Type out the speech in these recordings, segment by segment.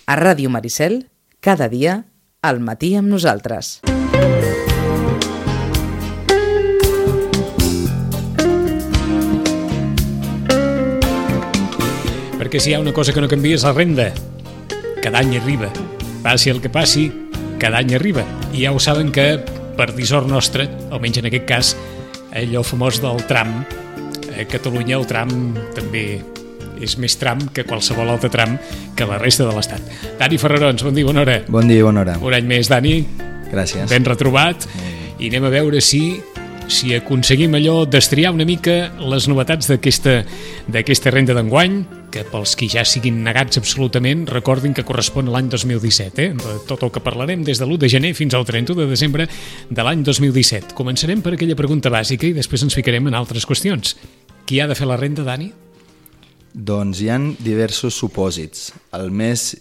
A Ràdio Maricel, cada dia, al matí amb nosaltres. Perquè si hi ha una cosa que no canvia és la renda. Cada any arriba. Passi el que passi, cada any arriba. I ja ho saben que, per dissort nostre, almenys en aquest cas, allò famós del tram, a Catalunya el tram també és més tram que qualsevol altre tram que la resta de l'Estat. Dani Ferrarons, bon dia, bona hora. Bon dia, bona hora. Un any més, Dani. Gràcies. Ben retrobat. I anem a veure si aconseguim allò destriar una mica les novetats d'aquesta renda d'enguany, que pels qui ja siguin negats absolutament, recordin que correspon a l'any 2017, de tot el que parlarem des de l'1 de gener fins al 31 de desembre de l'any 2017. Començarem per aquella pregunta bàsica i després ens ficarem en altres qüestions. Qui ha de fer la renda, Dani? Doncs hi ha diversos supòsits. El més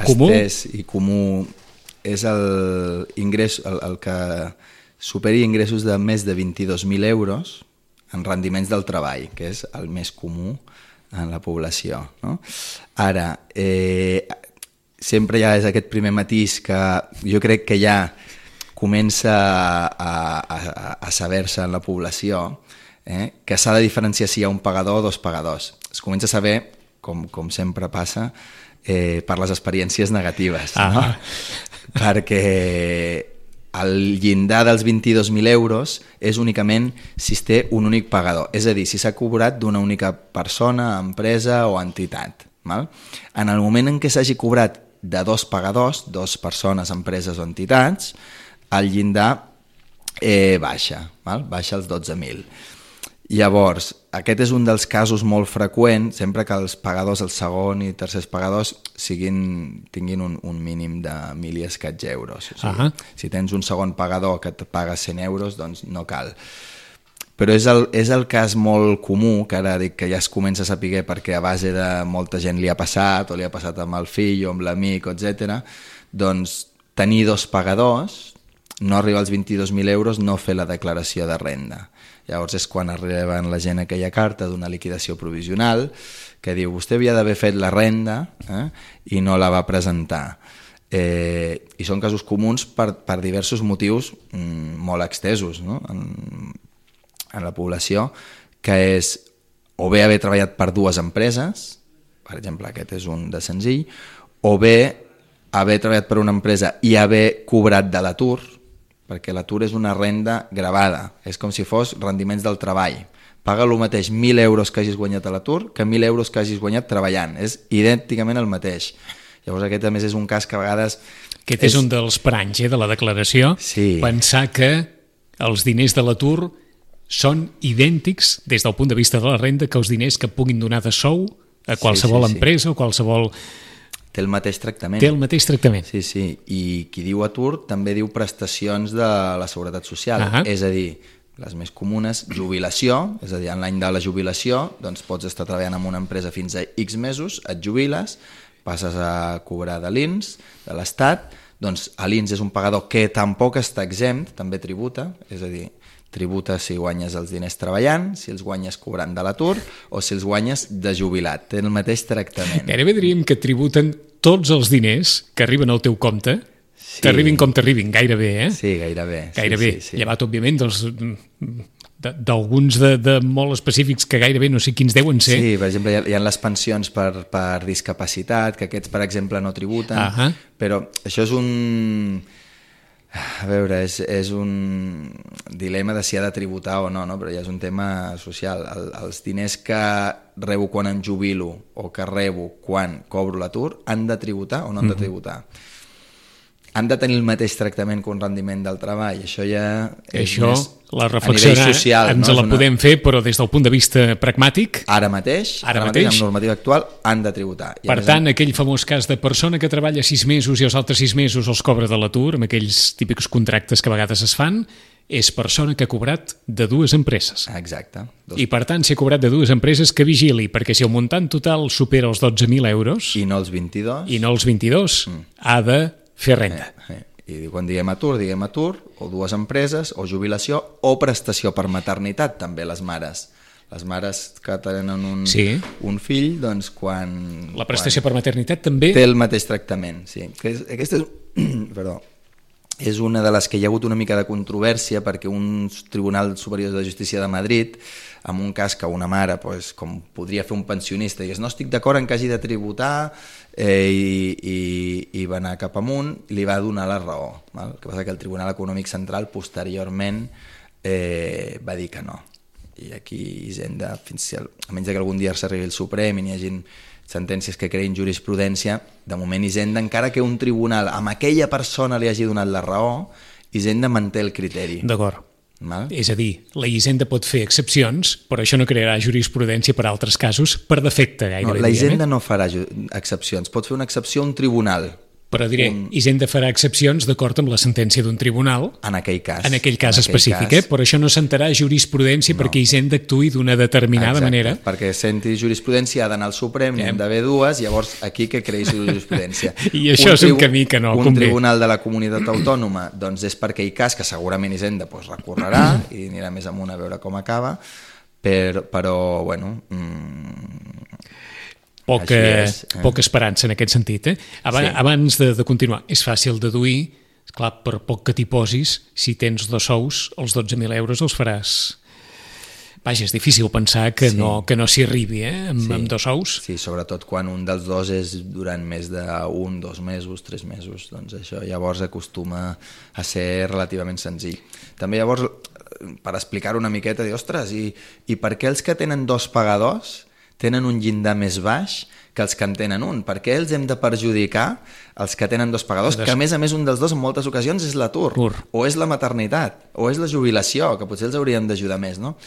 comú? estès i comú és el que superi ingressos de més de 22.000 euros en rendiments del treball, que és el més comú en la població, no? Ara, sempre ja és aquest primer matís que jo crec que ja comença a saber-se en la població, que s'ha de diferenciar si hi ha un pagador o dos pagadors. Es comença a saber, com sempre passa, per les experiències negatives, no? Perquè el llindar dels 22.000 euros és únicament si es té un únic pagador, és a dir, si s'ha cobrat d'una única persona, empresa o entitat. Val? En el moment en què s'hagi cobrat de dos pagadors, dues persones, empreses o entitats, el llindar baixa, val? Baixa als 12.000. Llavors, aquest és un dels casos molt freqüents, sempre que els pagadors, els segon i tercers pagadors, tinguin un mínim de 1.000 i escaig euros. O sigui, si tens un segon pagador que et paga 100 euros, doncs no cal. Però és el cas molt comú, que ara dic que ja es comença a saber perquè a base de molta gent li ha passat, o li ha passat amb el fill o amb l'amic, etc. Doncs tenir dos pagadors, no arribar als 22.000 euros, no fer la declaració de renda. Llavors és quan arriben la gent aquella carta d'una liquidació provisional que diu vostè havia d'haver fet la renda i no la va presentar. I són casos comuns per diversos motius molt extesos, no? En la població, que és o bé haver treballat per dues empreses, per exemple aquest és un de senzill, o bé haver treballat per una empresa i haver cobrat de l'atur, perquè l'atur és una renda gravada, és com si fos rendiments del treball. Paga el mateix 1.000 euros que hagis guanyat a l'atur que 1.000 euros que hagis guanyat treballant, és idènticament el mateix. Llavors aquest a més és un cas que a vegades... Aquest és un dels paranys de la declaració, sí. Pensar que els diners de l'atur són idèntics des del punt de vista de la renda que els diners que puguin donar de sou a qualsevol empresa o qualsevol... Té el mateix tractament. Té el mateix tractament. Sí, sí, i qui diu atur també diu prestacions de la Seguretat Social, és a dir, les més comunes, jubilació, és a dir, en l'any de la jubilació doncs pots estar treballant en una empresa fins a X mesos, et jubiles, passes a cobrar de l'INS, de l'Estat, doncs l'INS és un pagador que tampoc està exempt, també tributa, és a dir, tributa si guanyes els diners treballant, si els guanyes cobrant de l'atur o si els guanyes de jubilat. Té el mateix tractament. Gairebé diríem que tributen tots els diners que arriben al teu compte, t'arribin com t'arribin, gairebé, Sí, gairebé. Gairebé, llevat, òbviament, d'alguns de molt específics que gairebé no sé quins deuen ser. Sí, per exemple, hi ha les pensions per discapacitat, que aquests, per exemple, no tributen, però això és un... A veure, és un dilema de si ha de tributar o no, però ja és un tema social. Els diners que rebo quan em jubilo o que rebo quan cobro l'atur han de tributar o no han de tributar? Han de tenir el mateix tractament que un rendiment del treball. Això ja és més la reflexió social, ens la podem fer, però des del punt de vista pragmàtic... Ara mateix, amb normativa actual, han de tributar. Per tant, aquell famós cas de persona que treballa 6 mesos i els altres 6 mesos els cobra de l'atur, amb aquells típics contractes que a vegades es fan, és persona que ha cobrat de dues empreses. Exacte. I per tant, si ha cobrat de dues empreses, que vigili, perquè si el muntant total supera els 12.000 euros... I no els 22. I no els 22, ha de fer renda. I quan diguem atur, o dues empreses, o jubilació, o prestació per maternitat, també les mares. Les mares que tenen un fill, doncs quan... La prestació per maternitat també? Té el mateix tractament, sí. Aquesta és una de les que hi ha hagut una mica de controvèrsia perquè un Tribunal Superior de Justícia de Madrid, en un cas que una mare, com podria fer un pensionista, digués no estic d'acord en que hagi de tributar i va anar cap amunt, li va donar la raó. El que passa que el Tribunal Econòmic Central posteriorment va dir que no. I aquí Hisenda, a menys que algun dia s'arribi el Suprem i n'hi hagin sentències que creïn jurisprudència, de moment Hisenda, encara que un tribunal amb aquella persona li hagi donat la raó, Hisenda manté el criteri. D'acord. És a dir, la Hisenda pot fer excepcions, però això no crearà jurisprudència per a altres casos per defecte gairebé. No, la Hisenda no farà excepcions, pot fer una excepció a un tribunal. Però diré, Hisenda farà excepcions d'acord amb la sentència d'un tribunal en aquell cas específic, però això no sentarà jurisprudència perquè Hisenda actuï d'una determinada manera. Perquè senti jurisprudència ha d'anar al Suprem, n'hi ha d'haver dues, llavors aquí que creï jurisprudència. I això és un camí que no convé. Un tribunal de la comunitat autònoma doncs és per aquell cas que segurament Hisenda recorrerà i anirà més amunt a veure com acaba, però bueno... Poca esperança en aquest sentit. Abans de continuar, és fàcil deduir, clar, per poc que t'hi posis, si tens 2 sous, els 12.000 euros els faràs. Vaja, és difícil pensar que no s'hi arribi amb 2 sous. Sí, sobretot quan un dels dos és durant més d'1, 2 mesos, 3 mesos, doncs això llavors acostuma a ser relativament senzill. També llavors, per explicar-ho una miqueta, dir, ostres, i per què els que tenen 2 pagadors tenen un llindar més baix que els que en tenen un? Per què els hem de perjudicar els que tenen 2 pagadors, que a més un dels dos en moltes ocasions és l'atur, o és la maternitat, o és la jubilació, que potser els hauríem d'ajudar més, no?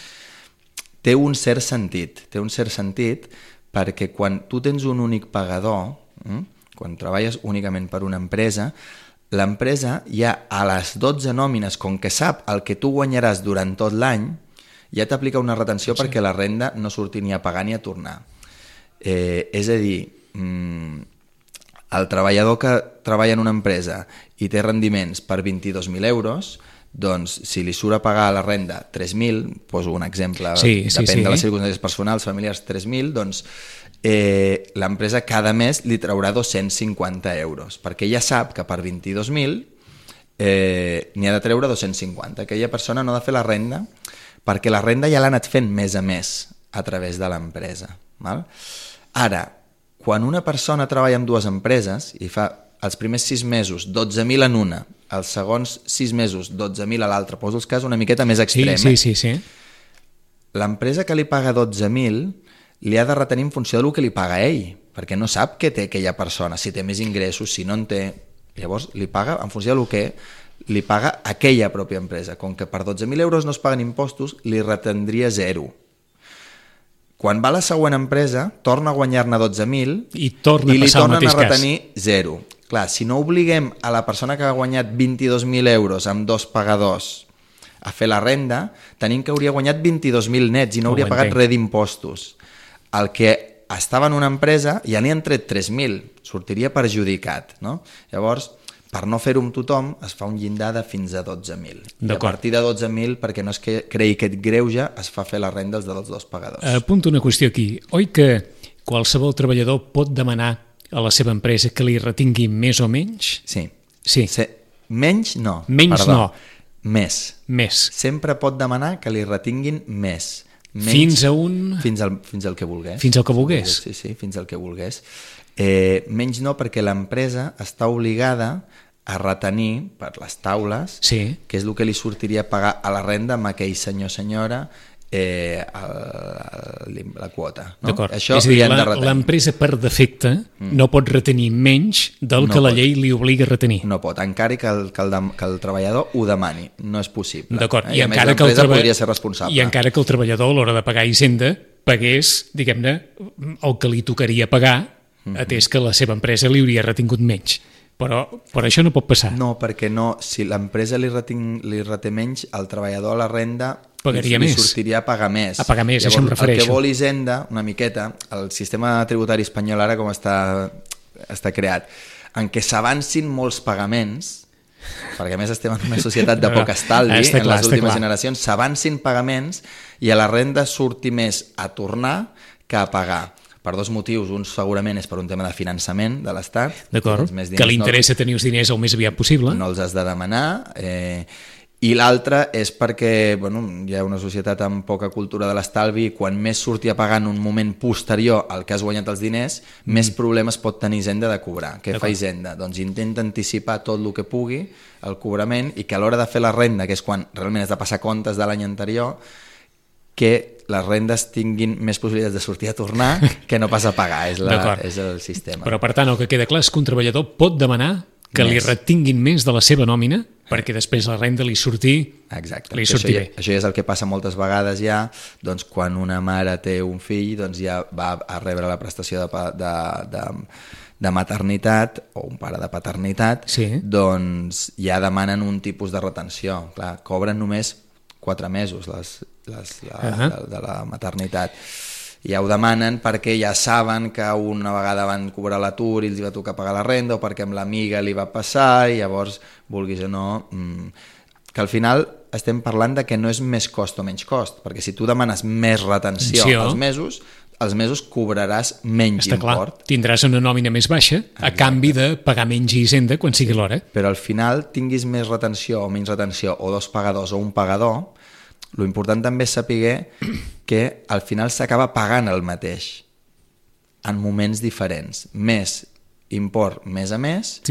Té un cert sentit perquè quan tu tens un únic pagador, quan treballes únicament per una empresa, l'empresa ja a les 12 nòmines, com que sap el que tu guanyaràs durant tot l'any, ja t'aplica una retenció perquè la renda no surti ni a pagar ni a tornar. És a dir, el treballador que treballa en una empresa i té rendiments per 22.000 euros, doncs si li surt a pagar la renda 3.000, poso un exemple, depèn de les circumstàncies personals, familiars, 3.000, doncs l'empresa cada mes li traurà 250 euros, perquè ja sap que per 22.000 n'hi ha de treure 250. Aquella persona no ha de fer la renda perquè la renda ja l'ha anat fent mes a mes a través de l'empresa. Ara, quan una persona treballa en 2 empreses i fa els primers 6 mesos 12.000 en una, els segons 6 mesos 12.000 a l'altra, poso els casos una miqueta més extrem, sí. L'empresa que li paga 12.000 li ha de retenir en funció del que li paga ell, perquè no sap què té aquella persona, si té més ingressos, si no en té. Llavors li paga en funció del que li paga aquella pròpia empresa. Com que per 12.000 euros no es paguen impostos, li retendria 0. Quan va a la següent empresa, torna a guanyar-ne 12.000 i li tornen a retenir 0. Clar, si no obliguem a la persona que ha guanyat 22.000 euros amb 2 pagadors a fer la renda, tenim que hauria guanyat 22.000 nets i no hauria pagat res d'impostos. El que estava en una empresa ja n'hi han tret 3.000, sortiria perjudicat, no? Llavors, per no fer-ho amb tothom, es fa un llindar de fins a 12.000. I a partir de 12.000, perquè no es creï aquest greuge, es fa fer la renda dels 2 pagadors. Apunto una qüestió aquí. Oi que qualsevol treballador pot demanar a la seva empresa que li retingui més o menys? Sí. Menys no. Més. Sempre pot demanar que li retinguin més. Fins a un... Fins al que volgués. Fins al que volgués. Sí, fins al que volgués. Menys no, perquè l'empresa està obligada a retenir per les taules, que és el que li sortiria a pagar a la renda amb aquell senyor o senyora la quota. No? D'acord, és a dir, l'empresa per defecte no pot retenir menys del que la llei li obliga a retenir. No pot, encara que el treballador ho demani, no és possible. D'acord, i a més l'empresa podria ser responsable. I encara que el treballador a l'hora de pagar Hisenda pagués, diguem-ne, el que li tocaria pagar, atès que la seva empresa li hauria retingut menys. Però això no pot passar. No, perquè si l'empresa li reté menys, el treballador a la renda pagaria li més. Sortiria a pagar més. A pagar més, llavors, això em refereixo. El que vol Hisenda, una miqueta, el sistema tributari espanyol ara com està creat, en què s'avancin molts pagaments perquè a més estem en una societat de poc estalvi, en les últimes generacions s'avancin pagaments i a la renda surti més a tornar que a pagar. Per dos motius, un segurament és per un tema de finançament de l'Estat. D'acord, que li interessa tenir els diners el més aviat possible. No els has de demanar. I l'altre és perquè hi ha una societat amb poca cultura de l'estalvi i quan més surti a pagar en un moment posterior al que has guanyat els diners, més problemes pot tenir Hisenda de cobrar. Què fa Hisenda? Doncs intenta anticipar tot el que pugui el cobrament i que a l'hora de fer la renda, que és quan realment has de passar comptes de l'any anterior, que les rendes tinguin més possibilitats de sortir a tornar que no pas a pagar, és el sistema. Però per tant el que queda clar és que un treballador pot demanar que li retinguin més de la seva nòmina perquè després la renda li surti, exacte, li surti bé. Això ja és el que passa moltes vegades ja, doncs quan una mare té un fill doncs ja va a rebre la prestació de maternitat o un pare de paternitat, doncs ja demanen un tipus de retenció. Clar, cobren només 4 mesos de la maternitat. Ja ho demanen perquè ja saben que una vegada van cobrar l'atur i els va tocar pagar la renda o perquè amb l'amiga li va passar i llavors, vulguis o no, que al final estem parlant de que no és més cost o menys cost, perquè si tu demanes més retenció els mesos cobraràs menys import. Clar, tindràs una nòmina més baixa a canvi de pagar menys Hisenda quan sigui l'hora. Però al final tinguis més retenció o menys retenció o 2 pagadors o un pagador, l'important també és saber que al final s'acaba pagant el mateix en moments diferents. Més import mes a mes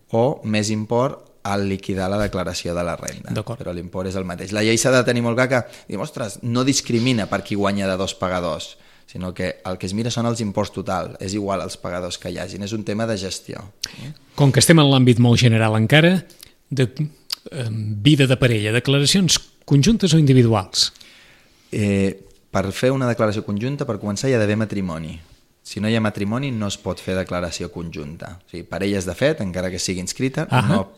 o més import al liquidar la declaració de la renda. Però l'import és el mateix. La llei s'ha de tenir molt clar que diu, ostres, no discrimina per qui guanya de 2 pagadors, sinó que el que es mira són els imports total. És igual els pagadors que hi hagin. És un tema de gestió. Com que estem en l'àmbit molt general encara, de vida de parella, declaracions conjuntes o individuals? Per fer una declaració conjunta, per començar, hi ha d'haver matrimoni. Si no hi ha matrimoni, no es pot fer declaració conjunta. O sigui, parelles de fet, encara que sigui inscrita,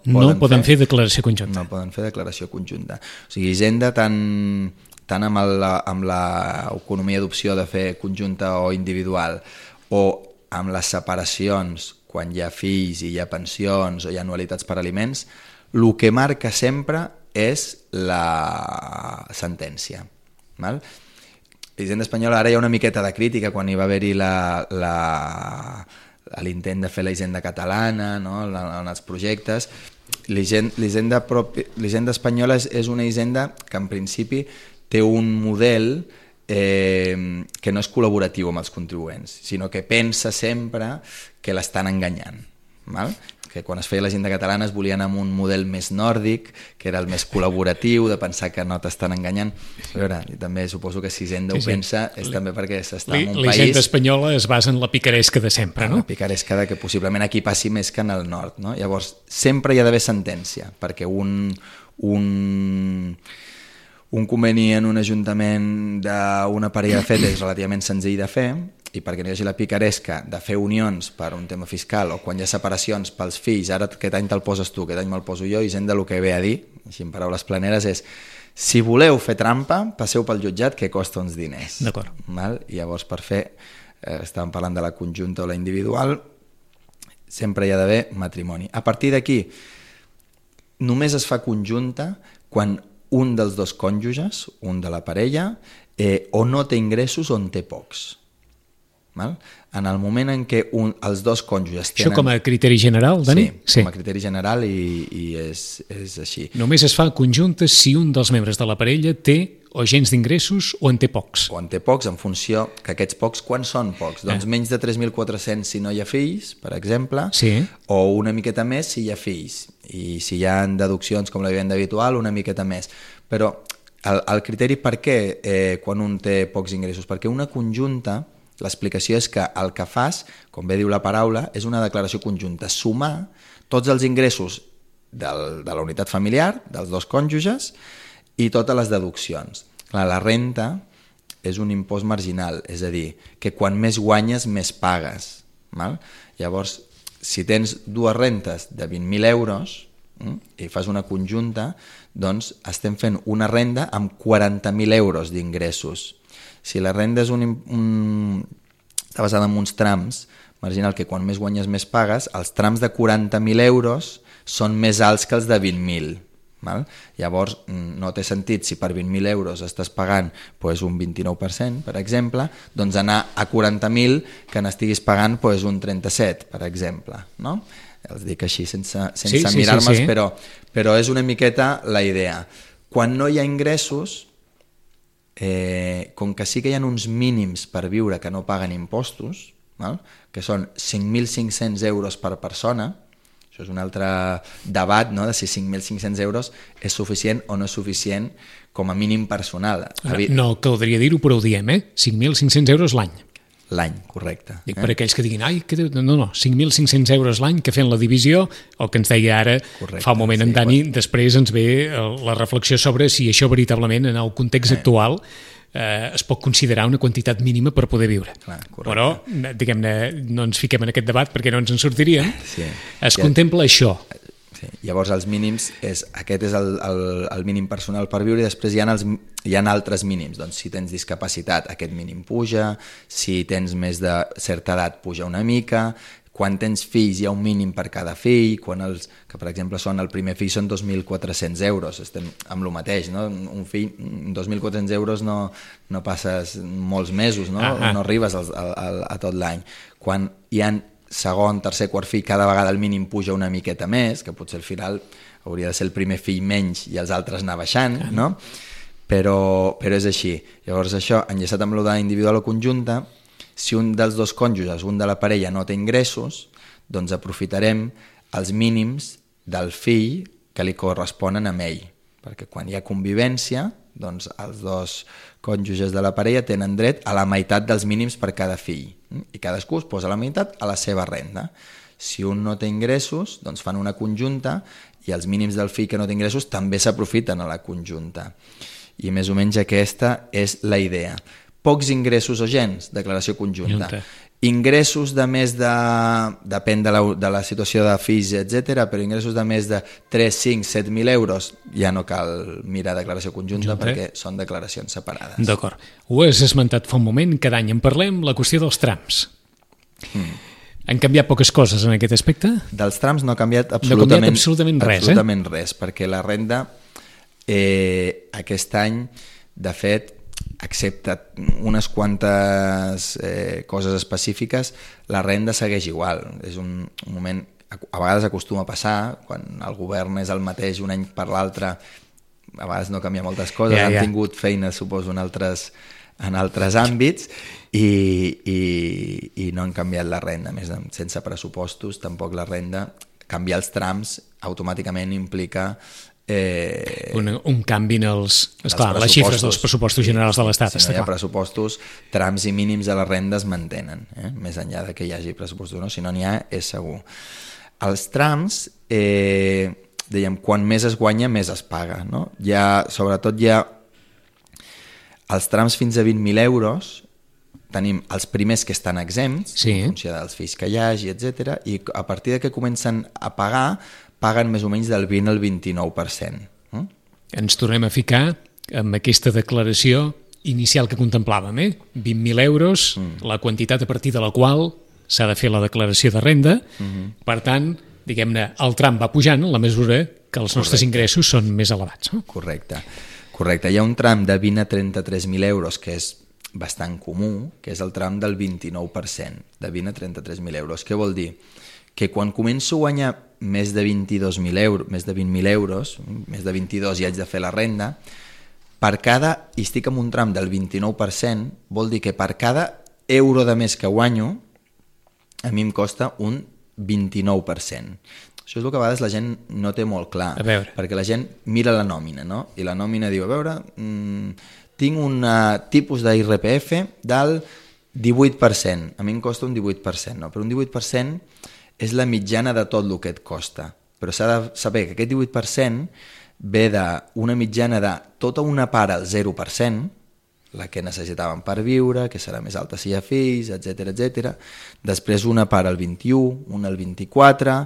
no poden fer declaració conjunta. No poden fer declaració conjunta. O sigui, Hisenda, tant amb l'economia d'opció de fer conjunta o individual, o amb les separacions, quan hi ha fills i hi ha pensions o hi ha anualitats per aliments, el que marca sempre és la sentència. L'Hisenda espanyola, ara hi ha una miqueta de crítica quan hi va haver-hi l'intent de fer la Hisenda catalana, en els projectes. L'Hisenda espanyola és una Hisenda que en principi té un model que no és col·laboratiu amb els contribuents, sinó que pensa sempre que l'estan enganyant. Que quan es feia la Hisenda catalana es volien amb un model més nòrdic, que era el més col·laboratiu, de pensar que no t'estan enganyant. A veure, també suposo que si Hisenda ho pensa és també perquè s'està en un país... La Hisenda espanyola es basa en la picaresca de sempre, no? La picaresca que possiblement aquí passi més que en el nord, no? Llavors, sempre hi ha d'haver sentència, perquè un conveni en un ajuntament d'una parella de fet és relativament senzill de fer, i perquè no hi hagi la picaresca de fer unions per un tema fiscal o quan hi ha separacions pels fills, ara aquest any te'l poses tu, aquest any me'l poso jo, Hisenda el que ve a dir, així en paraules planeres, és si voleu fer trampa, passeu pel jutjat que costa uns diners. D'acord. I llavors per fer, estàvem parlant de la conjunta o la individual, sempre hi ha d'haver matrimoni. A partir d'aquí, només es fa conjunta quan un dels dos cònjuges, un de la parella, o no té ingressos o en té pocs. En el moment en què els dos cònjuges tenen... Això com a criteri general, Dani? Sí, com a criteri general i és així. Només es fa conjunta si un dels membres de la parella té o gens d'ingressos o en té pocs. O en té pocs en funció que aquests pocs, quan són pocs? Doncs menys de 3.400 si no hi ha fills, per exemple, o una miqueta més si hi ha fills. I si hi ha deduccions com la vivenda habitual, una miqueta més. Però el criteri per què quan un té pocs ingressos? Perquè una conjunta... L'explicació és que el que fas, com bé diu la paraula, és una declaració conjunta, sumar tots els ingressos de la unitat familiar, dels dos cònjuges, i totes les deduccions. Clar, la renta és un impost marginal, és a dir, que quan més guanyes, més pagues. Llavors, si tens dues rentes de 20.000 euros i fas una conjunta, doncs estem fent una renda amb 40.000 euros d'ingressos. Si la renda és està basada en uns trams marginal que quan més guanyes més pagues, els trams de 40.000 euros són més alts que els de 20.000. Val? Llavors no té sentit, si per 20.000 euros estàs pagant pues, un 29%, per exemple, doncs anar a 40.000 que n'estiguis pagant pues, un 37%, per exemple, no? Els dic així sense mirar-me'ls, però és una miqueta la idea. Quan no hi ha ingressos, com que sí que hi ha uns mínims per viure que no paguen impostos, val? Que són 5.500 euros per persona. Això és un altre debat, no?, de si 5.500 euros és suficient o no és suficient com a mínim personal. No caldria dir-ho, però ho diem, 5.500 euros l'any. L'any, correcte. Dic per aquells que diguin, no, 5.500 euros l'any, que fent la divisió, el que ens deia ara fa un moment en Dani, després ens ve la reflexió sobre si això veritablement en el context actual es pot considerar una quantitat mínima per poder viure. Clar, però, diguem-ne, no ens fiquem en aquest debat perquè no ens en sortiríem. Sí. Contempla això. Sí. Llavors els mínims, aquest és el mínim personal per viure, i després hi ha altres mínims. Doncs si tens discapacitat, aquest mínim puja, si tens més de certa edat puja una mica, quan tens fills hi ha un mínim per cada fill, que per exemple el primer fill són 2.400 euros, estem amb el mateix, no? Un fill, 2.400 euros no passes molts mesos, no? No arribes a tot l'any. Quan hi ha segon, tercer, quart fill, cada vegada el mínim puja una miqueta més, que potser al final hauria de ser el primer fill menys i els altres anar baixant, no? Però és així. Llavors això, enllaçat amb l'ordre individual o conjunta, si un dels dos cònjuges, un de la parella, no té ingressos, doncs aprofitarem els mínims del fill que li corresponen a ell, perquè quan hi ha convivència, doncs els dos cònjuges de la parella tenen dret a la meitat dels mínims per cada fill, i cadascú es posa la meitat a la seva renda. Si un no té ingressos, doncs fan una conjunta, i els mínims del fill que no té ingressos també s'aprofiten a la conjunta. I més o menys aquesta és la idea. Pocs ingressos o gens, declaració conjunta. Ingressos de més de... depèn de la situació de fills, etc., però ingressos de més de 3, 5, 7.000 euros ja no cal mirar declaració conjunta perquè són declaracions separades. D'acord. Ho has esmentat fa un moment, cada any en parlem, la qüestió dels trams. Han canviat poques coses en aquest aspecte? Dels trams no ha canviat absolutament res, absolutament res, perquè la renda aquest any, de fet, excepte unes quantes coses específiques, la renda segueix igual. És un moment, a vegades acostuma a passar, quan el govern és el mateix un any per l'altre, a vegades no canvia moltes coses, han tingut feina, suposo, en altres àmbits, i no han canviat la renda. A més, sense pressupostos, tampoc la renda, canviar els trams automàticament implica un canvi en les xifres dels pressupostos generals de l'Estat. Si no hi ha pressupostos, trams i mínims de la renda es mantenen, més enllà de que hi hagi pressupostos o no, si no n'hi ha, és segur. Els trams, dèiem, quan més es guanya, més es paga, no? Sobretot hi ha els trams fins a 20.000 euros, tenim els primers que estan exempts, en funció dels fills que hi hagi, etc., i a partir de que comencen a pagar, paguen més o menys del 20 al 29%. Ens tornem a ficar amb aquesta declaració inicial que contemplàvem, 20.000 euros, la quantitat a partir de la qual s'ha de fer la declaració de renda. Per tant, diguem-ne, el tram va pujant en la mesura que els nostres ingressos són més elevats. Correcte. Hi ha un tram de 20 a 33.000 euros que és bastant comú, que és el tram del 29%, de 20 a 33.000 euros. Què vol dir? Que quan començo a guanyar més de 22.000 euros, més de 20.000 euros, més de 22 ja haig de fer la renda, i estic en un tram del 29%, vol dir que per cada euro de més que guanyo, a mi em costa un 29%. Això és el que a vegades la gent no té molt clar, perquè la gent mira la nòmina, no? I la nòmina diu, a veure, tinc un tipus d'IRPF del 18%, a mi em costa un 18%, no? Però un 18% és la mitjana de tot el que et costa, però s'ha de saber que aquest 18% ve d'una mitjana de tota una part al 0%, la que necessitaven per viure, que serà més alta si hi ha fills, etc. Després una part al 21, una al 24,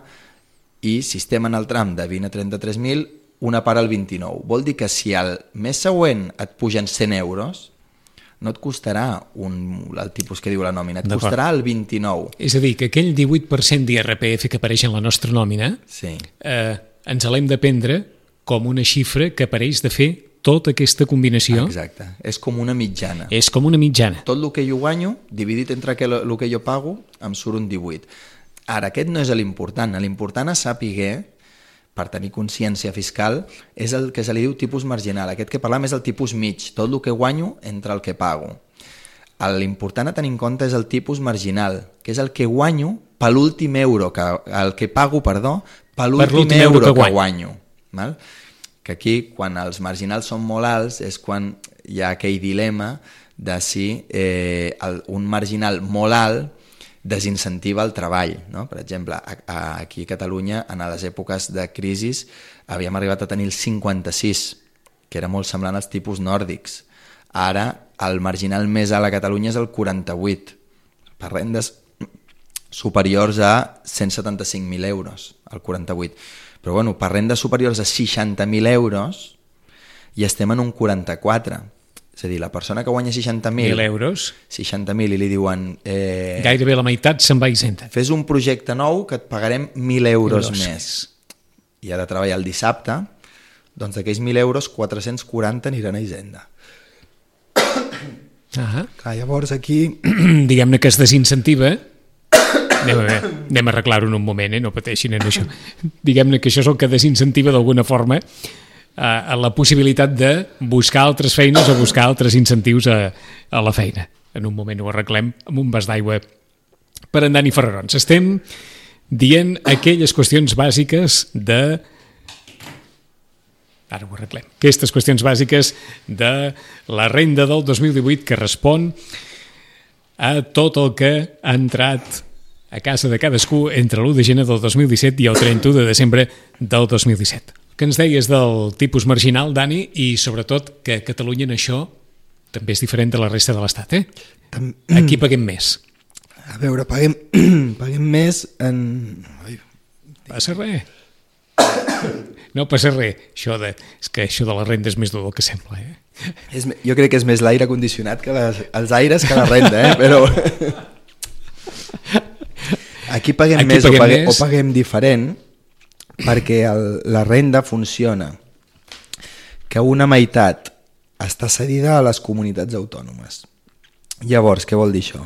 i si estem en el tram de 20 a 33.000, una part al 29. Vol dir que si al mes següent et pugen 100 euros, no et costarà el tipus que diu la nòmina, et costarà el 29. És a dir, que aquell 18% d'IRPF que apareix en la nostra nòmina Sí. Ens l'hem de prendre com una xifra que apareix de fer tota aquesta combinació. Exacte, és com una mitjana. És com una mitjana. Tot el que jo guanyo, dividit entre el que jo pago, em surt un 18. Ara, aquest no és l'important. L'important a saber, per tenir consciència fiscal, és el que se li diu tipus marginal. Aquest que parlem és el tipus mig, tot el que guanyo entre el que pago. L'important a tenir en compte és el tipus marginal, que és el que guanyo per l'últim euro, el que pago, perdó, per l'últim euro que guanyo. Val? Que aquí, quan els marginals són molt alts, és quan hi ha aquell dilema de si un marginal molt alt desincentiva el treball. No? Per exemple, aquí a Catalunya, en les èpoques de crisi, havíem arribat a tenir el 56, que era molt semblant als tipus nòrdics. Ara, el marginal més alt a Catalunya és el 48, per rendes superiors a 175.000 euros, el 48. Però bueno, per rendes superiors a 60.000 euros i estem en un 44. És a dir, la persona que guanya 60.000 euros, 60.000 i li diuen... gairebé la meitat se'n va a Hisenda. Fes un projecte nou que et pagarem 1.000 euros més. I ha de treballar el dissabte, doncs d'aquells 1.000 euros, 440 aniran a Hisenda. Clar, llavors aquí... Diguem-ne que es desincentiva... Anem a arreglar-ho en un moment, no pateixin en això. Diguem-ne que això és el que desincentiva d'alguna forma a la possibilitat de buscar altres feines o buscar altres incentius a la feina. En un moment ho arreglem amb un vas d'aigua per en Dani Ferrarons. Estem dient aquelles qüestions bàsiques de... Ara ho arreglem. Aquestes qüestions bàsiques de la renda del 2018 que respon a tot el que ha entrat a casa de cadascú entre l'1 de gener del 2017 i el 31 de desembre del 2017. Que ens deies del tipus marginal, Dani, i sobretot que a Catalunya en això també és diferent de la resta de l'Estat, eh? Aquí paguem més. A veure, paguem més en... Passa res. No passa res. És que això de la renda és més dur del que sembla, eh? Jo crec que és més l'aire condicionat que els aires que la renda, eh? Però... Aquí paguem més o paguem diferent perquè la renda funciona que una meitat està cedida a les comunitats autònomes. Llavors, què vol dir això?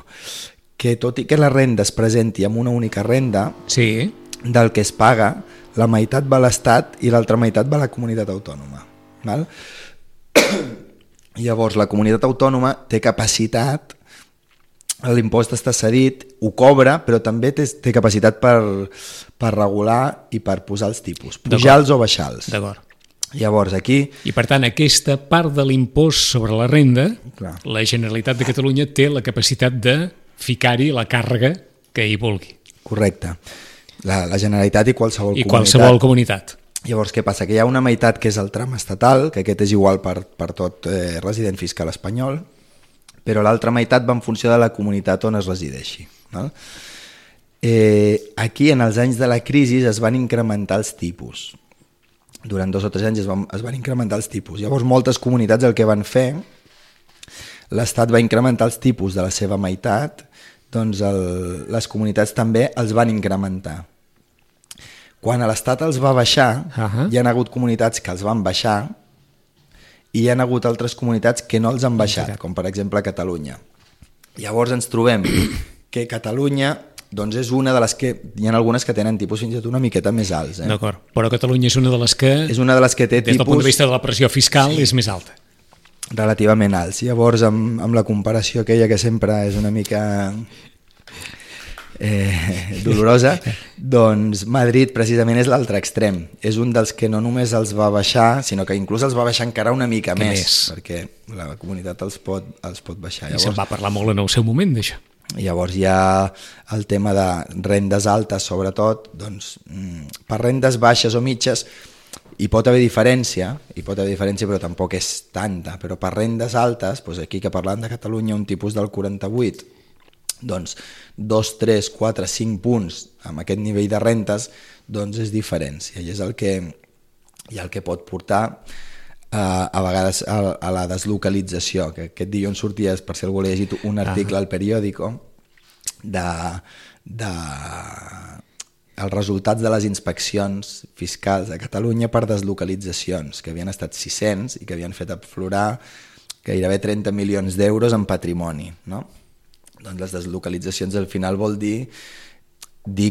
Que tot i que la renda es presenti amb una única renda, sí, del que es paga, la meitat va a l'Estat i l'altra meitat va a la comunitat autònoma. Val? Llavors, la comunitat autònoma té capacitat, l'impost està cedit, ho cobra, però també té capacitat per regular i per posar els tipus, pujar-los o baixar-los. D'acord. Llavors aquí... I per tant, aquesta part de l'impost sobre la renda, la Generalitat de Catalunya té la capacitat de ficar-hi la càrrega que hi vulgui. Correcte. La Generalitat i qualsevol comunitat. I qualsevol comunitat. Llavors, què passa? Que hi ha una meitat que és el tram estatal, que aquest és igual per tot resident fiscal espanyol, però l'altra meitat va en funció de la comunitat on es resideixi. No? Aquí, en els anys de la crisi, es van incrementar els tipus. Durant 2 o 3 anys es van incrementar els tipus. Llavors, moltes comunitats el que van fer, l'Estat va incrementar els tipus de la seva meitat, doncs les comunitats també els van incrementar. Quan l'Estat els va baixar, hi ha hagut comunitats que els van baixar, i hi ha hagut altres comunitats que no els han baixat, com per exemple Catalunya. Llavors ens trobem que Catalunya doncs és una de les que... Hi ha algunes que tenen tipus fins i tot una miqueta més alts. D'acord, però Catalunya és una de les que... És una de les que té des del punt de vista de la pressió fiscal és més alta. Relativament alts. Llavors, amb la comparació aquella que sempre és una mica... dolorosa, doncs Madrid precisament és l'altre extrem, és un dels que no només els va baixar, sinó que inclús els va baixar encara una mica més, perquè la comunitat els pot baixar. I se'n va parlar molt en el seu moment d'això. Llavors hi ha el tema de rendes altes, sobretot, doncs per rendes baixes o mitges hi pot haver diferència, però tampoc és tanta, però per rendes altes, doncs aquí que parlant de Catalunya, un tipus del 48, doncs 2, 3, 4, 5 punts amb aquest nivell de rentes, doncs és diferència i és el que pot portar a vegades a la deslocalització, que aquest dilluns sortia, per si algú l'ha llegit, un article al periòdico els resultats de les inspeccions fiscals a Catalunya per deslocalitzacions, que havien estat 600 i que havien fet aflorar gairebé 30 milions d'euros en patrimoni, no? Doncs les deslocalitzacions al final vol dir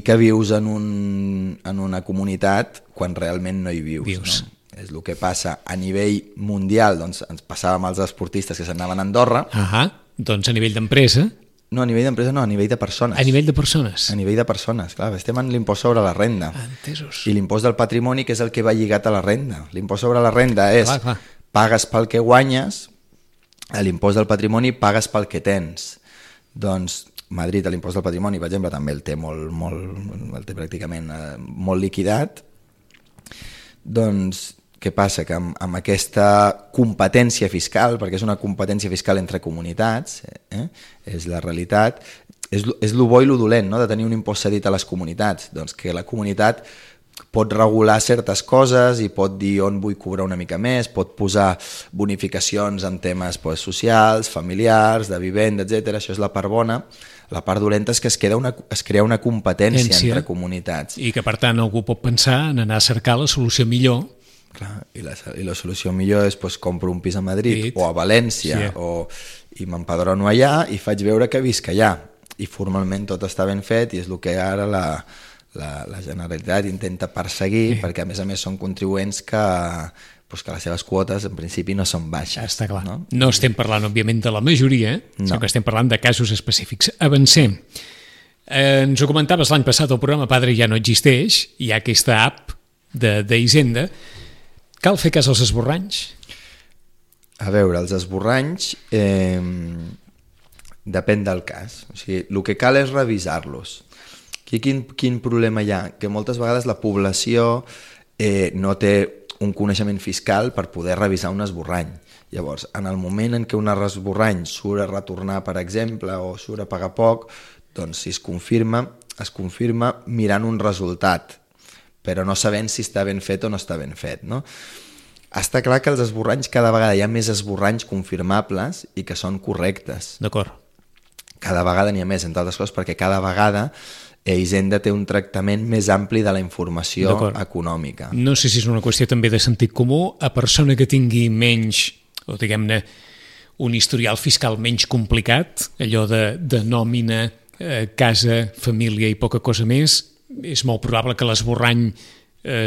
que vius en una comunitat quan realment no hi vius. No? És el que passa a nivell mundial, doncs ens passava amb els esportistes que s'anaven a Andorra. Doncs a nivell d'empresa... No, a nivell d'empresa no, a nivell de persones. A nivell de persones. A nivell de persones, clar, estem en l'impost sobre la renda. Entesos. I l'impost del patrimoni, que és el que va lligat a la renda. L'impost sobre la renda és pagues pel que guanyes, l'impost del patrimoni pagues pel que tens. Doncs Madrid, l'impost del patrimoni, per exemple, també el té pràcticament molt liquidat. Doncs què passa? Que amb aquesta competència fiscal, perquè és una competència fiscal entre comunitats, és la realitat, és lo bo i lo dolent, no? De tenir un impost cedit a les comunitats, doncs que la comunitat pot regular certes coses i pot dir on vull cobrar una mica més, pot posar bonificacions en temes socials, familiars, de vivenda, etc. Això és la part bona. La part dolenta és que es crea una competència entre comunitats. I que per tant algú pot pensar en anar a cercar la solució millor. Clar, i la solució millor és compro un pis a Madrid o a València i m'empadrono allà i faig veure que visc allà. I formalment tot està ben fet i és el que ara la Generalitat intenta perseguir, perquè a més són contribuents que les seves quotes en principi no són baixes. Està clar. No estem parlant, òbviament, de la majoria, sinó que estem parlant de casos específics. Avancem. Ens ho comentaves l'any passat, el programa Padre ja no existeix, hi ha aquesta app d'Hisenda. Cal fer cas als esborranys? A veure, els esborranys depèn del cas. O sigui, el que cal és revisar-los. Aquí quin problema hi ha? Que moltes vegades la població no té un coneixement fiscal per poder revisar un esborrany. Llavors, en el moment en què un esborrany surt a retornar, per exemple, o surt a pagar poc, doncs si es confirma mirant un resultat, però no sabent si està ben fet o no està ben fet, no? Està clar que els esborranys, cada vegada hi ha més esborranys confirmables i que són correctes. D'acord. Cada vegada n'hi ha més, entre altres coses, perquè cada vegada Hisenda té un tractament més ampli de la informació econòmica. No sé si és una qüestió també de sentit comú, a persona que tingui menys, o diguem-ne, un historial fiscal menys complicat, allò de nòmina, casa, família i poca cosa més, és molt probable que l'esborrany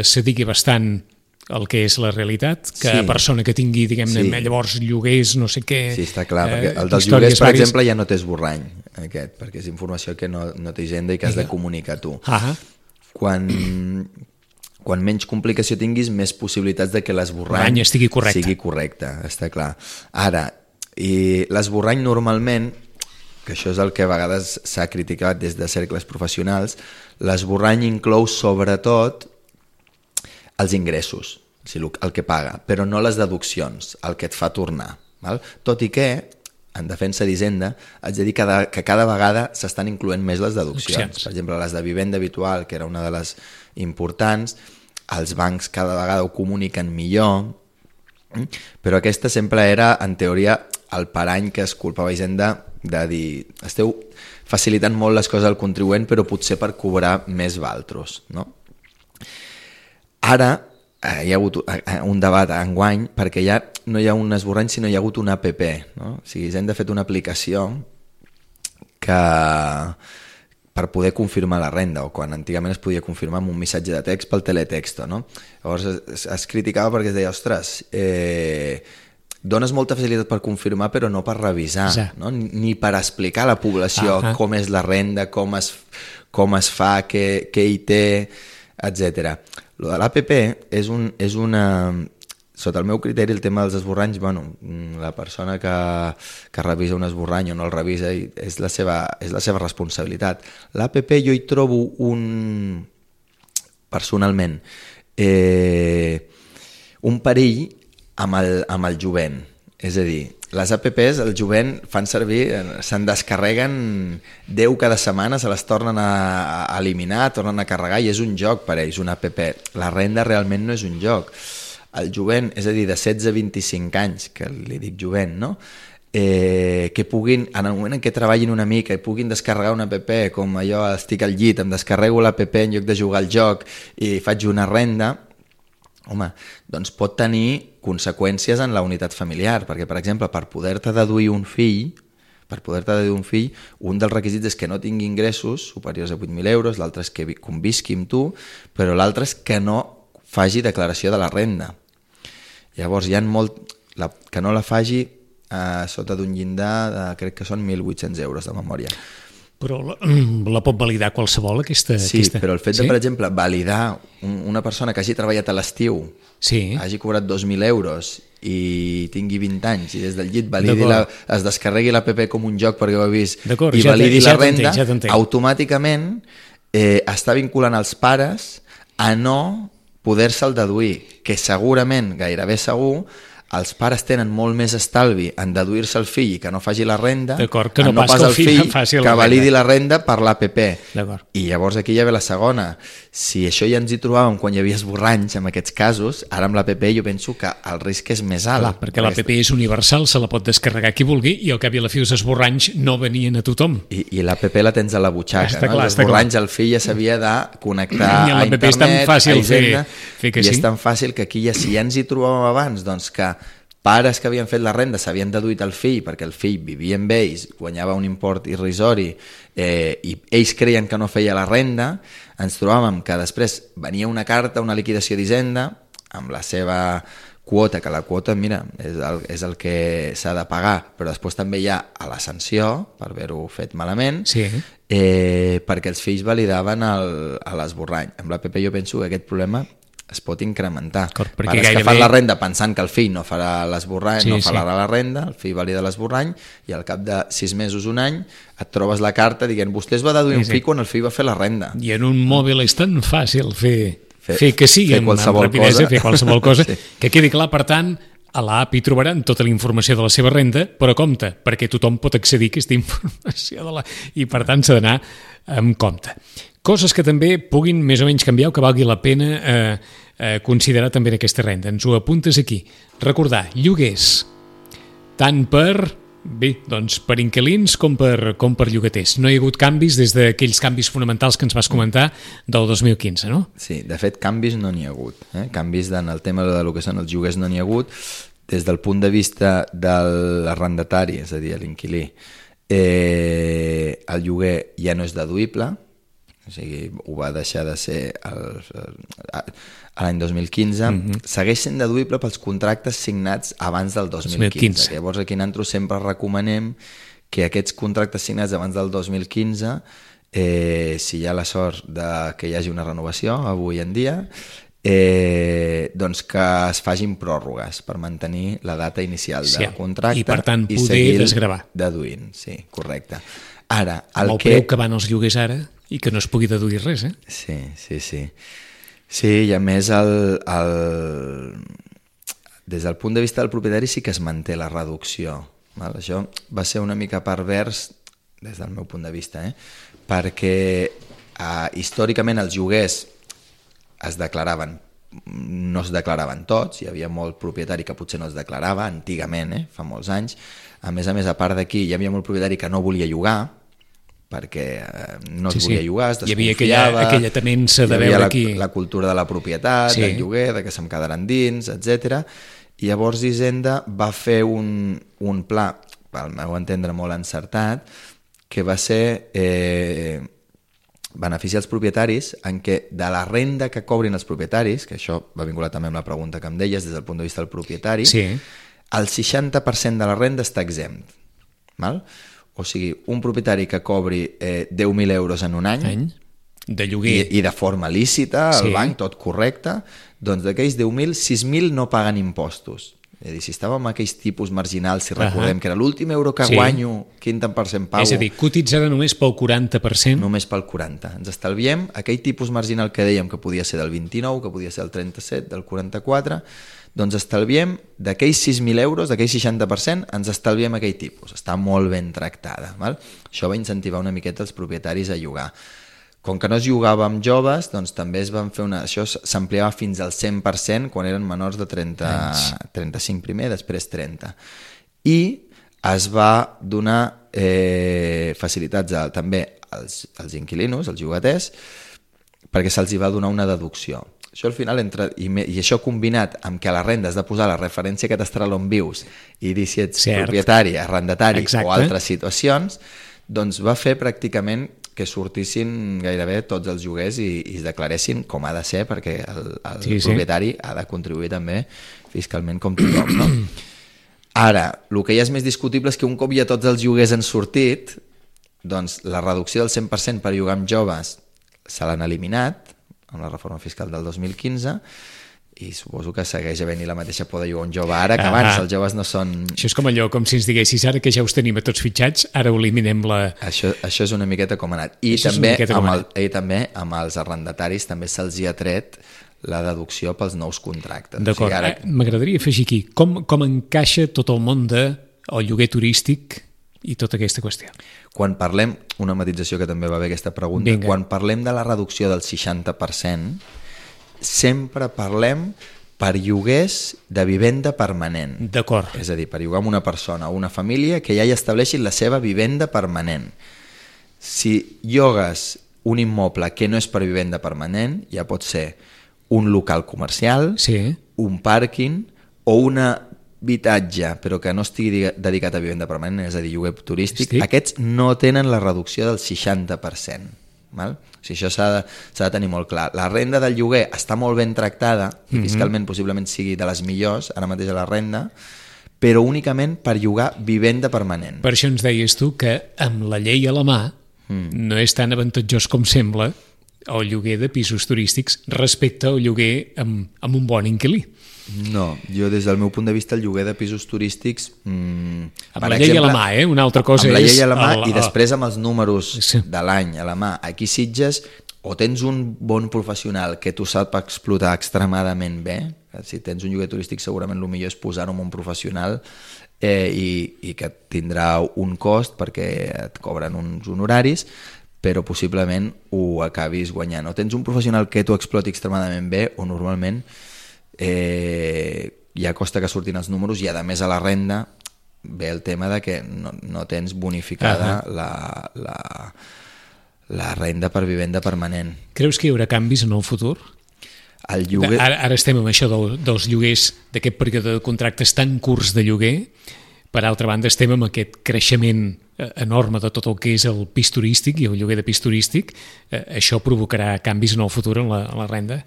s'adigui bastant el que és la realitat, que a persona que tingui, diguem-ne, llavors lloguers, no sé què... Sí, està clar, perquè el dels lloguers, per exemple, ja no té esborrany, aquest, perquè és informació que no té Hisenda i que has de comunicar tu. Quan menys complicació tinguis, més possibilitats de que l'esborrany sigui correcte, està clar. Ara, i l'esborrany normalment, que això és el que a vegades s'ha criticat des de cercles professionals, l'esborrany inclou sobretot els ingressos, el que paga, però no les deduccions, el que et fa tornar. Tot i que, en defensa d'Hisenda, haig de dir que cada vegada s'estan incloent més les deduccions. Per exemple, les de vivenda habitual, que era una de les importants, els bancs cada vegada ho comuniquen millor, però aquesta sempre era, en teoria, el parany que es culpava Hisenda de dir, esteu facilitant molt les coses al contribuent, però potser per cobrar més valtros, no? Ara hi ha hagut un debat enguany perquè ja no hi ha un esborrany sinó hi ha hagut una app, no? O sigui, Hisenda ha fet una aplicació que per poder confirmar la renda, o quan antigament es podia confirmar amb un missatge de text pel teletexto, no? Llavors es criticava perquè es deia, ostres, dones molta facilitat per confirmar però no per revisar, no? Ni per explicar a la població com és la renda, com es fa, què hi té, etc. Lo de l'APP és una... Sota el meu criteri, el tema dels esborranys, la persona que revisa un esborrany o no el revisa és la seva responsabilitat. L'APP jo hi trobo personalment un perill amb el jovent. És a dir, les APPs, el jovent fan servir, se'n descarreguen 10 cada setmana, se les tornen a eliminar, tornen a carregar i és un joc per ells, una APP. La renda realment no és un joc. el jovent, és a dir, de 16 a 25 anys, que li dic jovent, no? Que puguin, en el moment en què treballin una mica i puguin descarregar una app, com allò, estic al llit, em descarrego l'app en lloc de jugar al joc i faig una renda, home, doncs pot tenir conseqüències en la unitat familiar, perquè, per exemple, per poder-te deduir un fill, un dels requisits és que no tingui ingressos superiors a 8.000 euros, l'altre és que convisqui amb tu, però l'altre és que no faci declaració de la renda. Llavors, hi ha que no la faci sota d'un llindar de, crec que són 1.800 euros de memòria. Però la pot validar qualsevol, aquesta? Sí, però el fet de, per exemple, validar una persona que hagi treballat a l'estiu, hagi cobrat 2.000 euros i tingui 20 anys i des del llit es descarregui l'app com un joc perquè ho ha vist i validi la renda, automàticament està vinculant els pares a no poder-se'l deduir, que segurament, gairebé segur, els pares tenen molt més estalvi en deduir-se el fill i que no faci la renda, que no pas el fill que validi la renda per l'APP. I llavors aquí ja ve la segona. Si això ja ens hi trobàvem quan hi havia esborranys en aquests casos, ara amb l'APP jo penso que el risc és més alt. Clar, perquè l'APP és universal, se la pot descarregar qui vulgui i al cap i a la fi els esborranys no venien a tothom. I l'APP la tens a la butxaca, no? Els esborranys el fill ja s'havia de connectar a internet, és tan fàcil fer que sí. I és tan fàcil que aquí si ja ens hi trobàvem abans, doncs que pares que havien fet la renda s'havien deduït el fill perquè el fill vivia amb ells, guanyava un import irrisori i ells creien que no feia la renda, ens trobàvem que després venia una carta, una liquidació d'Hisenda amb la seva quota, que la quota, mira, és el que s'ha de pagar, però després també hi ha a la sanció per haver-ho fet malament, perquè els fills validaven l'esborrany. Amb l'APP jo penso que aquest problema es pot incrementar. Pares que fan la renda pensant que el fill no farà l'esborrany, no farà la renda, el fill valida l'esborrany i al cap de 6 mesos, un any, et trobes la carta dient vostè es va deduir un fill quan el fill va fer la renda. I en un mòbil és tan fàcil fer que sigui amb rapidesa, fer qualsevol cosa, que quedi clar, per tant, a l'app hi trobaran tota la informació de la seva renda, però compte, perquè tothom pot accedir a aquesta informació i per tant s'ha d'anar amb compte. Coses que també puguin més o menys canviar o que valgui la pena considerar també en aquesta renda. Ens ho apuntes aquí. Recordar, lloguers, tant per inquilins com per llogaters. No hi ha hagut canvis des d'aquells canvis fonamentals que ens vas comentar del 2015, no? Sí, de fet, canvis no n'hi ha hagut. Canvis en el tema del que són els lloguers no n'hi ha hagut. Des del punt de vista de l'arrendatari, és a dir, l'inquilí, el lloguer ja no és deduïble, o sigui, ho va deixar de ser l'any 2015, segueix sent deduïble pels contractes signats abans del 2015. Llavors aquí nosaltres sempre recomanem que aquests contractes signats abans del 2015, si hi ha la sort que hi hagi una renovació avui en dia, doncs que es facin pròrrogues per mantenir la data inicial del contracte i per tant poder desgravar. Deduint, sí, correcte. Ara, el preu que van els lloguers ara i que no es pugui deduir res, Sí, i a més des del punt de vista del propietari sí que es manté la reducció. Això va ser una mica pervers des del meu punt de vista, perquè històricament els lloguers no es declaraven tots, hi havia molt propietari que potser no es declarava, antigament, fa molts anys. A més, a part d'aquí, hi havia molt propietari que no volia llogar, perquè no es volia llogar, es desconfiava. Hi havia aquella temença de veure aquí. La cultura de la propietat, del lloguer, de que se'm quedaran dins, etc. I llavors Hisenda va fer un pla, pel meu entendre molt encertat, que va ser beneficiar els propietaris en què de la renda que cobrin els propietaris, que això va vinculat també amb la pregunta que em deies des del punt de vista del propietari, el 60% de la renda està exempt. O sigui, un propietari que cobri 10.000 euros en un any de lloguer i de forma lícita, al banc, tot correcte, doncs d'aquells 10.000, 6.000 no paguen impostos. És a dir, si estàvem amb aquells tipus marginals, si recordem que era l'últim euro que guanyo, quin tant per cent pago... És a dir, cotitzada només pel 40%? Només pel 40%. Ens estalviem aquell tipus marginal que dèiem que podia ser del 29, que podia ser del 37, del 44... doncs estalviem d'aquells 6.000 euros, d'aquells 60%, ens estalviem aquell tipus. Està molt ben tractada. Això va incentivar una miqueta els propietaris a llogar. Com que no es jugava amb joves, doncs també es van fer això s'ampliava fins al 100% quan eren menors de 35 primer, després 30. I es va donar facilitats també als inquilinos, als llogaters, perquè se'ls va donar una deducció. Això al final entra, i això combinat amb que a la renda has de posar la referència catastral on vius i dir si ets propietari, arrendatari o altres situacions, doncs va fer pràcticament que sortissin gairebé tots els lloguers i es declaressin com ha de ser, perquè el propietari ha de contribuir també fiscalment com tothom, no? Ara, el que ja és més discutible és que un cop ja tots els lloguers han sortit, doncs la reducció del 100% per llogar amb joves se l'han eliminat amb la reforma fiscal del 2015 i suposo que segueix havent-hi la mateixa por de llogar un jove ara que abans, els joves no són... Això és com allò, com si ens diguessis ara que ja us tenim a tots fitxats, ara ho eliminem la... Això és una miqueta com ha anat. I també amb els arrendataris també se'ls hi ha tret la deducció pels nous contractes. D'acord, o sigui, m'agradaria afegir aquí, com encaixa tot el món del lloguer turístic i tota aquesta qüestió? Quan parlem, una matització que també va haver aquesta pregunta, quan parlem de la reducció del 60%, sempre parlem per lloguers de vivenda permanent. D'acord. És a dir, per llogar amb una persona o una família que ja hi estableixin la seva vivenda permanent. Si llogues un immoble que no és per vivenda permanent, ja pot ser un local comercial, un pàrquing o un habitatge, però que no estigui dedicat a vivenda permanent, és a dir, lloguer turístic, aquests no tenen la reducció del 60%. Val? O sigui, això s'ha de tenir molt clar. La renda del lloguer està molt ben tractada, i fiscalment possiblement sigui de les millors, ara mateix a la renda, però únicament per llogar vivenda permanent. Per això ens deies tu que amb la llei a la mà no és tan avantatjós com sembla el lloguer de pisos turístics respecte al lloguer amb un bon inquilí. No, jo des del meu punt de vista el lloguer de pisos turístics... Amb la llei a la mà, una altra cosa és... Amb la llei a la mà i després amb els números de l'any a la mà. Aquí Sitges o tens un bon professional que tu sap explotar extremadament bé, si tens un lloguer turístic segurament el millor és posar-ho amb un professional i que tindrà un cost perquè et cobren uns honoraris, però possiblement ho acabis guanyant. O tens un professional que t'ho exploti extremadament bé o normalment ja costa que surtin els números i a més a la renda ve el tema de que no tens bonificada la renda per vivenda permanent. Creus que hi haurà canvis en el futur? El lloguer... Ara estem amb això dels lloguers, d'aquest període de contractes tan curts de lloguer. Per altra banda, estem amb aquest creixement enorme de tot el que és el pis turístic i el lloguer de pis turístic. Això provocarà canvis en el futur en la renda?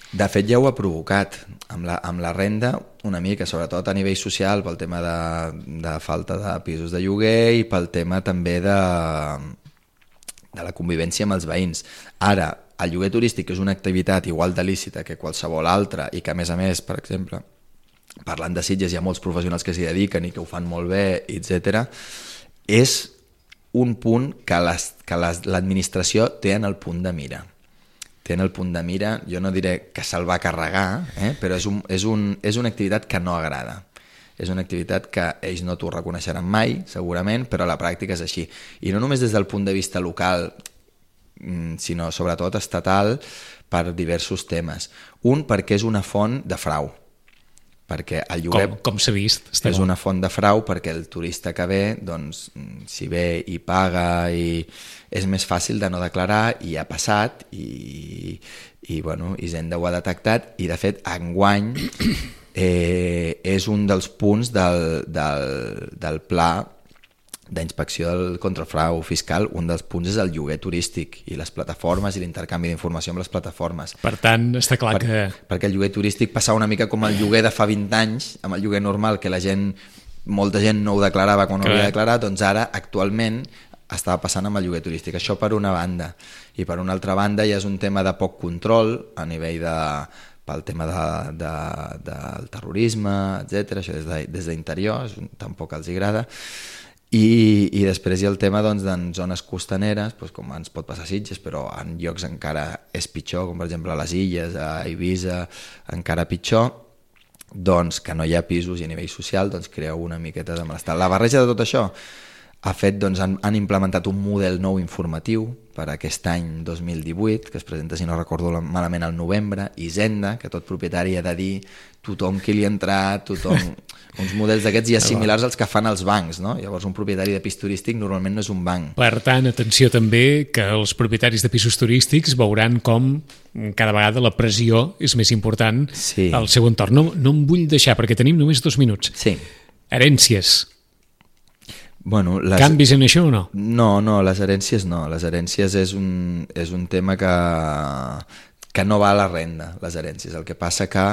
De fet, ja ho ha provocat amb la renda una mica, sobretot a nivell social, pel tema de falta de pisos de lloguer i pel tema també de la convivència amb els veïns. Ara, el lloguer turístic és una activitat igual de lícita que qualsevol altra i que, a més, per exemple, parlant de Sitges, hi ha molts professionals que s'hi dediquen i que ho fan molt bé, etc. És un punt que l'administració té en el punt de mira. Jo no diré que se'l va carregar, però és una activitat que no agrada. És una activitat que ells no t'ho reconeixeran mai, segurament, però a la pràctica és així. I no només des del punt de vista local, sinó sobretot estatal, per diversos temes. Un, perquè és una font de frau. Perquè el lloguer com s'ha vist, és una font de frau perquè el turista que ve, doncs, si ve i paga i és més fàcil de no declarar i ha passat i Hisenda ho ha detectat i de fet enguany és un dels punts del pla d'inspecció contra el frau fiscal, un dels punts és el lloguer turístic i les plataformes i l'intercanvi d'informació amb les plataformes. Per tant, està clar que... Perquè el lloguer turístic passava una mica com el lloguer de fa 20 anys, amb el lloguer normal, que molta gent no ho declarava quan ho havia declarat, doncs ara, actualment, estava passant amb el lloguer turístic. Això per una banda. I per una altra banda ja és un tema de poc control a nivell pel tema del terrorisme, etc. Això des d'interior, tampoc els agrada. I després hi ha el tema en zones costaneres, com ens pot passar a Sitges, però en llocs encara és pitjor, com per exemple a les Illes, a Eivissa, encara pitjor, doncs que no hi ha pisos i a nivell social crea una miqueta de malestar. La barreja de tot això, ha fet, doncs, han implementat un model nou informatiu per aquest any 2018, que es presenta, si no recordo malament, al novembre, Hisenda, que tot propietari ha de dir tothom qui li ha entrat, tothom... uns models d'aquests ja similars als que fan els bancs, no? Llavors un propietari de pis turístic normalment no és un banc. Per tant, atenció també que els propietaris de pisos turístics veuran com cada vegada la pressió és més important al seu entorn. No em vull deixar, perquè tenim només 2 minuts. Sí. Herències. Bueno, canvis en això o no? No, les herències no. Les herències és un tema que no va a la renda, les herències. El que passa que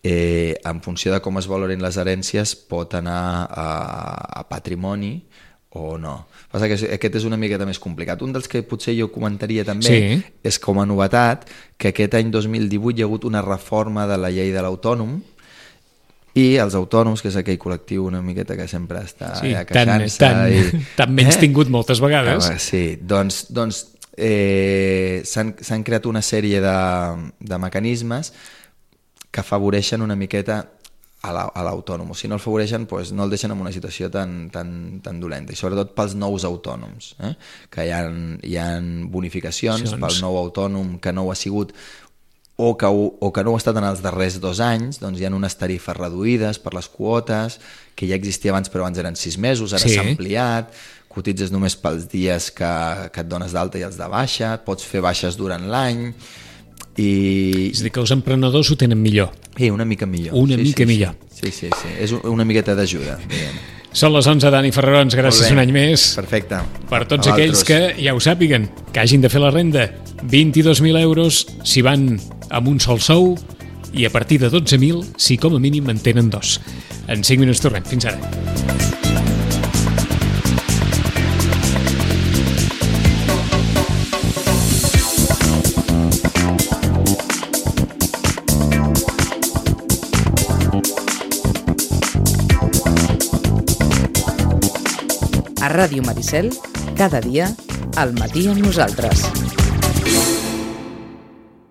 en funció de com es valorin les herències pot anar a patrimoni o no. Passa que aquest és una miqueta més complicat. Un dels que potser jo comentaria també és com a novetat que aquest any 2018 hi ha hagut una reforma de la llei de l'autònom i els autònoms, que és aquell col·lectiu una miqueta que sempre està queixant-se. Tan menys tingut moltes vegades. Sí, doncs s'han creat una sèrie de mecanismes que afavoreixen una miqueta a l'autònom. Si no el afavoreixen, doncs no el deixen en una situació tan dolenta. I sobretot pels nous autònoms, que hi ha bonificacions pel nou autònom que no ho ha sigut o que no ho ha estat en els darrers 2 anys, doncs hi ha unes tarifes reduïdes per les quotes, que ja existia abans, però abans eren 6 mesos, ara s'ha ampliat, cotitzes només pels dies que et dones d'alta i els de baixa, pots fer baixes durant l'any, és a dir, que els emprenedors ho tenen millor. Una mica millor. Millor. Sí, és una miqueta d'ajuda, diguem. Són les 11, Dani Ferrarons, gràcies un any més. Perfecte. Per tots aquells que ja ho sàpiguen, que hagin de fer la renda, 22.000 euros si van amb un sol sou i a partir de 12.000 si com a mínim en tenen 2. En 5 minuts tornem. Fins ara. A Ràdio Maricel, cada dia, al matí amb nosaltres.